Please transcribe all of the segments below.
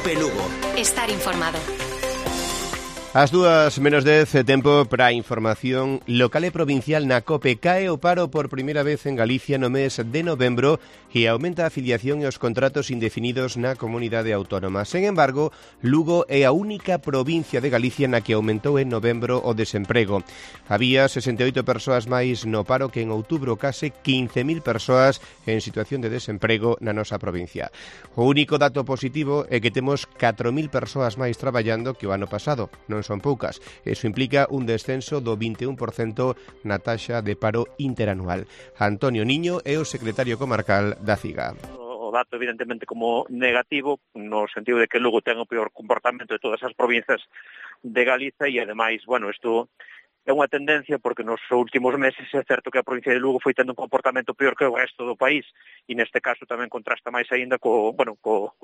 COPE Lugo. Estar informado. As 2:10, tempo para a información local e provincial na COPE. Cae o paro por primeira vez en Galicia no mes de novembro e aumenta a afiliación e os contratos indefinidos na comunidade autónoma. Sen embargo, Lugo é a única provincia de Galicia na que aumentou en novembro o desemprego. Había 68 persoas máis no paro que en outubro, case 15.000 persoas en situación de desemprego na nosa provincia. O único dato positivo é que temos 4.000 persoas máis traballando que o ano pasado. Non son poucas. Eso implica un descenso do 21% na taxa de paro interanual. Antonio Niño é o secretario comarcal da CIGA. O dato evidentemente como negativo, no sentido de que Lugo ten o peor comportamento de todas as provincias de Galiza e ademais, isto é unha tendencia porque nos últimos meses é certo que a provincia de Lugo foi tendo un comportamento peor que o resto do país e neste caso tamén contrasta máis aínda coa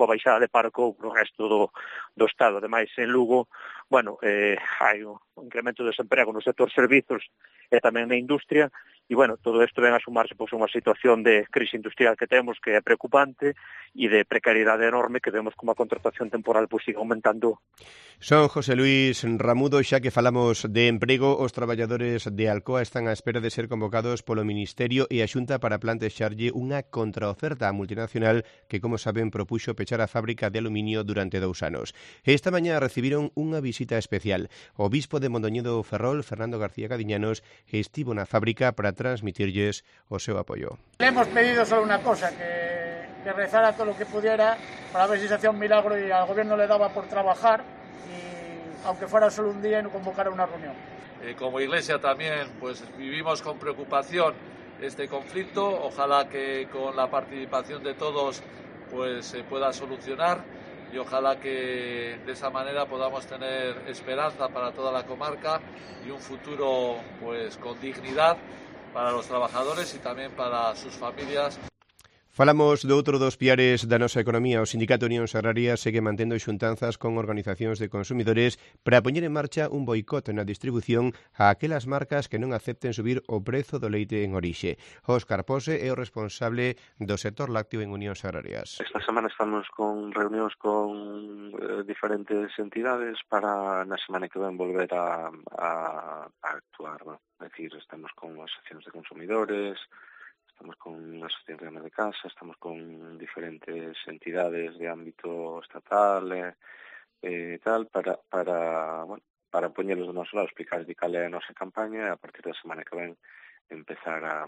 baixada de paro co resto do Estado. Ademais, en Lugo, hai un incremento de desemprego no sector servizos e tamén na industria e, todo isto ven a sumarse a unha situación de crise industrial que temos que é preocupante e de precariedade enorme que vemos como a contratación temporal sigue aumentando. Son José Luis Ramudo. Xa que falamos de emprego, os traballadores de Alcoa están á espera de ser convocados polo Ministerio e a Xunta para plantexarlle unha contraoferta á multinacional que, como saben, propuxo pechar a fábrica de aluminio durante 2 anos. Esta mañá recibiron unha visita especial. O bispo de Mondoñedo Ferrol, Fernando García Cadiñanos, estivo na fábrica para transmitirlles o seu apoio. Le hemos pedido solo una cosa, que rezara todo lo que pudiera para ver si se hacía un milagro y al gobierno le daba por trabajar y aunque fuera solo un día y no convocara una reunión. Como Iglesia también vivimos con preocupación este conflicto, ojalá que con la participación de todos se pueda solucionar y ojalá que de esa manera podamos tener esperanza para toda la comarca y un futuro con dignidad para los trabajadores y también para sus familias. Falamos de outro dos piares da nosa economía. O Sindicato Unións Agrarias segue mantendo xuntanzas con organizacións de consumidores para poñer en marcha un boicot na distribución a aquelas marcas que non acepten subir o prezo do leite en orixe. Óscar Pose é o responsable do sector lácteo en Unións Agrarias. Esta semana estamos con reunións con diferentes entidades para na semana que ven volver a actuar. É dicir, estamos con asociacións de consumidores, estamos con asociacións de amas de casa, estamos con diferentes entidades de ámbito estatal e tal para poñerlos do noso lado, explicar de cal é a nosa campaña e a partir da semana que ven empezar a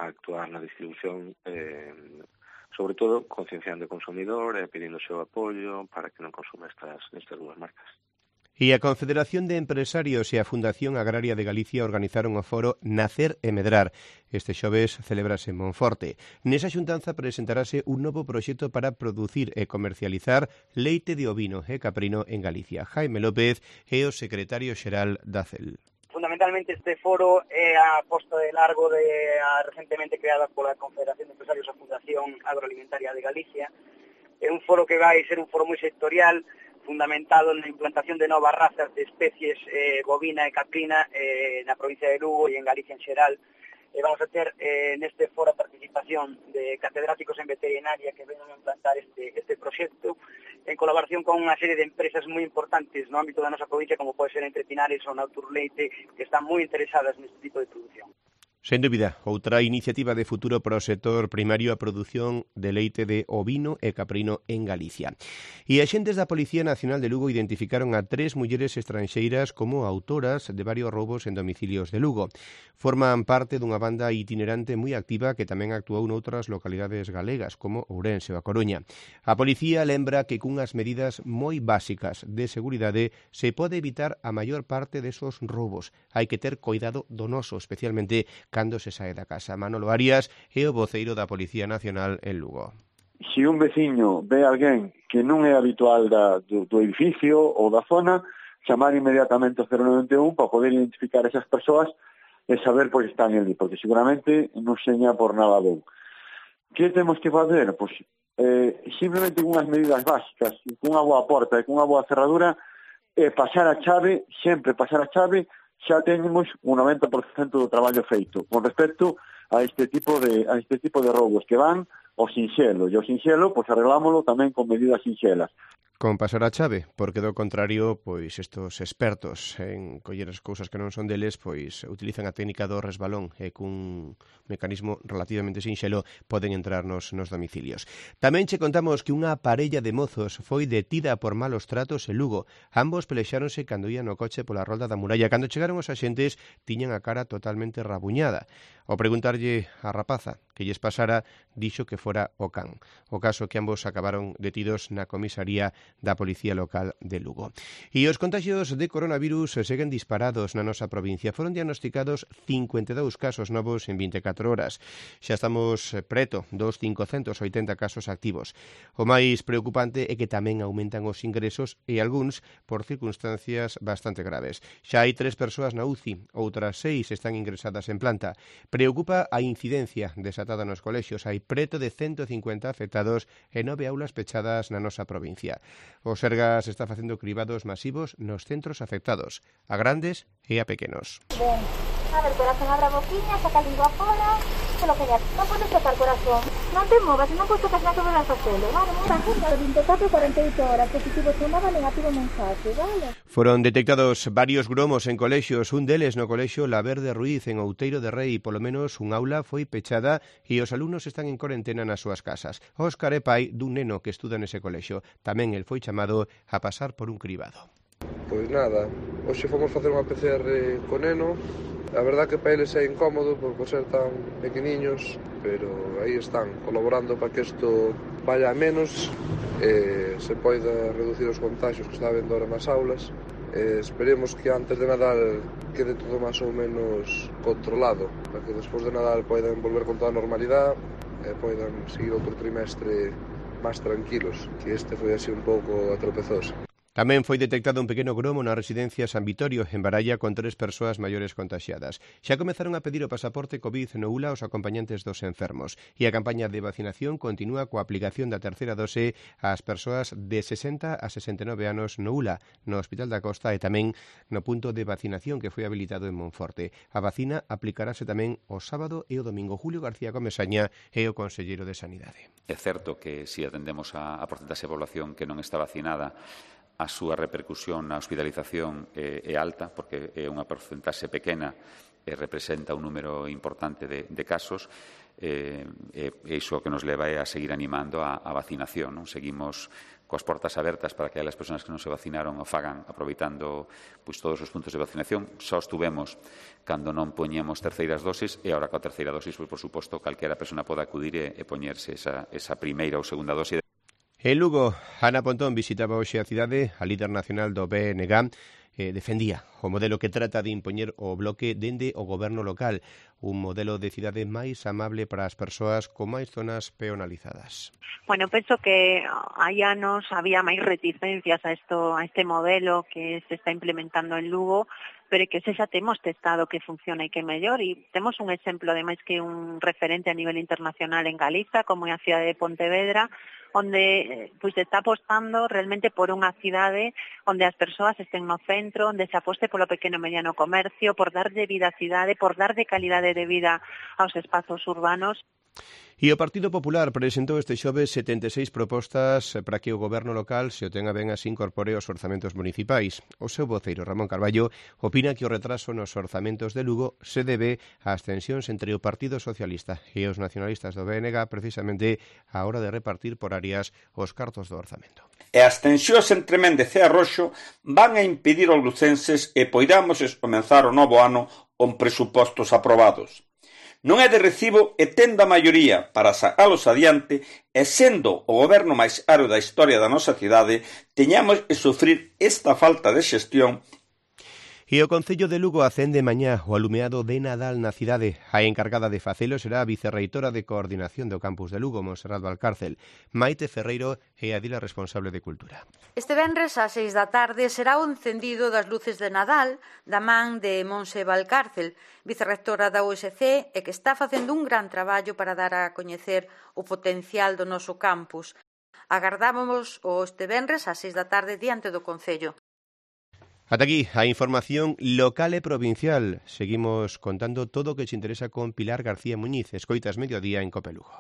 actuar na distribución, sobre todo concienciando o consumidor e pedindo o seu apoio para que non consuma estas dúas marcas. E a Confederación de Empresarios e a Fundación Agraria de Galicia organizaron o foro Nacer e Medrar. Este xoves celebrase en Monforte. Nesa xuntanza presentarase un novo proxecto para producir e comercializar leite de ovino e caprino en Galicia. Jaime López é o secretario xeral da CEL. Fundamentalmente este foro é a posta de largo recentemente creada pola Confederación de Empresarios e a Fundación Agroalimentaria de Galicia. É un foro que vai ser un foro moi sectorial, fundamentado na implantación de novas razas de especies bovina e caprina na provincia de Lugo e en Galicia en xeral. Vamos a ter neste foro a participación de catedráticos en veterinaria que vengan a implantar este proxecto en colaboración con unha serie de empresas moi importantes no ámbito da nosa provincia, como pode ser Entre Pinares ou Naturleite, que están moi interesadas neste tipo de producción. Sen dúbida, outra iniciativa de futuro para o sector primario, a produción de leite de ovino e caprino en Galicia. E axentes da Policía Nacional de Lugo identificaron a 3 mulleres estranxeiras como autoras de varios roubos en domicilios de Lugo. Forman parte dunha banda itinerante moi activa que tamén actuou noutras localidades galegas, como Ourense ou A Coruña. A policía lembra que cunhas medidas moi básicas de seguridade se pode evitar a maior parte desos roubos. Hai que ter cuidado do noso, especialmente cando se sae da casa. Manolo Arias é o voceiro da Policía Nacional en Lugo. Se un veciño ve a alguén que non é habitual do edificio ou da zona, chamar inmediatamente o 091 para poder identificar esas persoas e saber por que están ali, porque seguramente non seña por nada bon. Que temos que facer? Pois simplemente con unhas medidas básicas, con unha boa porta e con unha boa cerradura, pasar a chave, sempre pasar a chave, xa teñemos un 90% do traballo feito con respecto a este tipo de roubos que van o sinxelo, e o sinxelo, pois arreglámoslo tamén con medidas sinxelas. Con pasar a chave, porque do contrario, pois estos expertos en coller as cousas que non son deles, pois utilizan a técnica do resbalón e cun mecanismo relativamente sinxelo poden entrar nos domicilios. Tamén che contamos que unha parella de mozos foi detida por malos tratos en Lugo. Ambos pelexáronse cando ían no coche pola rolda da muralla. Cando chegaron os axentes, tiñan a cara totalmente rabuñada. Ao preguntarlle a rapaza que lles pasara, dixo que fora o can. O caso que ambos acabaron detidos na comisaría da Policía Local de Lugo. E os contagios de coronavirus seguen disparados na nosa provincia. Foron diagnosticados 52 casos novos en 24 horas. Xa estamos preto dos 580 casos activos. O máis preocupante é que tamén aumentan os ingresos e algúns por circunstancias bastante graves. Xa hai 3 persoas na UCI, outras 6 están ingresadas en planta. Preocupa a incidencia desatada nos colexios. Hai preto de 150 afectados e 9 aulas pechadas na nosa provincia. O Sergas está facendo cribados masivos nos centros afectados, a grandes e a pequenos. Ben, a ver, corazón, abra a boquiña, saca a lingua fora, que lo que ya, non podes tocar, corazón. Non te movas, non podes tocar nada sobre a facelo, vale? Tranquilo, 24 48 horas, positivo chamada, negativo mensaje, vale? Foron detectados varios gromos en colexios, un deles no colexio La Verde Ruiz, en Outeiro de Rei. Polo menos un aula foi pechada e os alumnos están en corentena nas súas casas. Óscar é pai dun neno que estuda nese colexio. Tamén el foi chamado a pasar por un cribado. Pois nada, hoxe fomos facer unha PCR co neno. A verdad que para eles é incómodo por ser tan pequeniños, pero aí están, colaborando para que isto vaya a menos e se poida reducir os contagios que está habendo ahora nas aulas. Esperemos que antes de Nadal quede todo máis ou menos controlado, para que despois de Nadal poidan volver con toda a normalidade e poidan seguir outro trimestre máis tranquilos, que este foi así un pouco atropezoso. Tamén foi detectado un pequeno gromo na residencia San Vitorio, en Baralla, con 3 persoas maiores contaxiadas. Xa comezaron a pedir o pasaporte COVID no ULA aos acompañantes dos enfermos. E a campaña de vacinación continúa coa aplicación da terceira dose ás persoas de 60 a 69 anos no ULA, no Hospital da Costa e tamén no punto de vacinación que foi habilitado en Monforte. A vacina aplicarase tamén o sábado e o domingo. Julio García Comesaña é o conselleiro de Sanidade. É certo que se atendemos a porcentaxe de población que non está vacinada, a súa repercusión na hospitalización é alta, porque é unha porcentaxe pequena e representa un número importante de casos, e iso que nos leva a seguir animando a vacinación. Non? Seguimos coas portas abertas para que as persoas que non se vacinaron o fagan aproveitando todos os puntos de vacinación. Só estuvemos cando non poñemos terceiras dosis e agora coa terceira dosis, por suposto, calquera persona pode acudir e poñerse esa primeira ou segunda dosis. En Lugo, Ana Pontón visitaba hoxe a cidade. A líder nacional do BNG defendía o modelo que trata de impoñer o bloque dende o goberno local, un modelo de cidade máis amable para as persoas con máis zonas peonalizadas. Bueno, penso que hai anos había máis reticencias a este modelo que se está implementando en Lugo, pero que xa temos testado que funciona e que é mellor, e temos un exemplo, ademais, que un referente a nivel internacional en Galiza, como é a cidade de Pontevedra, onde se está apostando realmente por unha cidade onde as persoas estén no centro, onde se aposte polo pequeno e mediano comercio, por darlle vida á cidade, por darlle calidade de vida aos espazos urbanos. E o Partido Popular presentou este xoves 76 propostas para que o goberno local se o tenga ben así incorpore aos orzamentos municipais. O seu voceiro, Ramón Carballo, opina que o retraso nos orzamentos de Lugo se debe ás tensións entre o Partido Socialista e os nacionalistas do BNG precisamente á hora de repartir por áreas os cartos do orzamento. E as tensións entre Méndez e Arroxo van a impedir aos lucenses e poidamos comenzar o novo ano con presupostos aprobados. Non é de recibo e tendo a maioría para sacalos adiante e sendo o goberno máis caro da historia da nosa cidade, teñamos que sufrir esta falta de xestión. E o Concello de Lugo acende mañá o alumeado de Nadal na cidade. A encargada de facelo será a vicerreitora de Coordinación do Campus de Lugo, Montserrat Valcárcel. Maite Ferreiro é a dila responsable de Cultura. Este venres ás 6 da tarde será o encendido das luces de Nadal da man de Montse Valcárcel, vicerrectora da USC, e que está facendo un gran traballo para dar a coñecer o potencial do noso campus. Agardábamos este venres ás 6 da tarde diante do Concello. Ata aquí a información local e provincial. Seguimos contando todo o que te interesa con Pilar García Muñiz. Escoitas Mediodía en Cope Lugo.